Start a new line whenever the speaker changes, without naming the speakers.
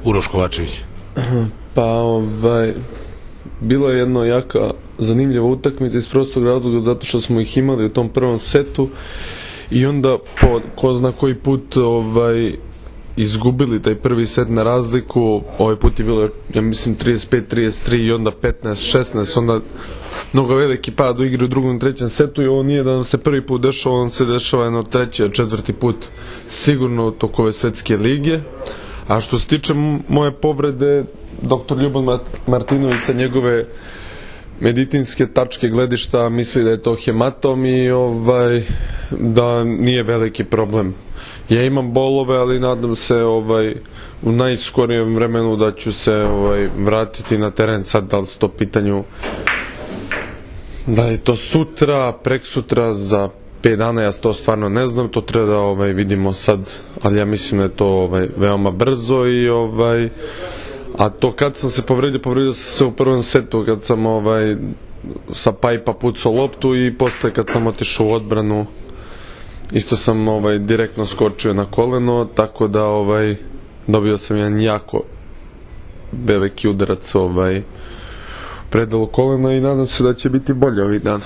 Uroš Kovačević?
Pa bilo je jedno jaka zanimljiva utakmica iz prostog razloga zato što smo ih imali u tom prvom setu i onda po ko zna koji put izgubili taj prvi set na razliku. Ovaj put je bilo, ja mislim, 35-33 i onda 15-16, onda mnogo veliki pad u igri u drugom i trećem setu i ovo nije da nam se prvi put dešava, on se dešava jedno treći, četvrti put sigurno toko ove svetske lige. A što se tiče moje povrede, doktor Ljuban Martinović sa njegove medicinske tačke gledišta misli da je to hematom i da nije veliki problem. Ja imam bolove, ali nadam se u najskorijem vremenu da ću se vratiti na teren. Sad da li se to pitanju da je to sutra, preksutra, za 5 dana, ja to stvarno ne znam, to treba da vidimo sad, ali ja mislim da je to veoma brzo i a to kad sam se povredio sam se u prvom setu kad sam sa pajpa pucao loptu i posle kad sam otišao u odbranu isto sam direktno skočio na koleno, tako da dobio sam jedan jako veliki udarac predalu kolena i nadam se da će biti bolje ovih dana.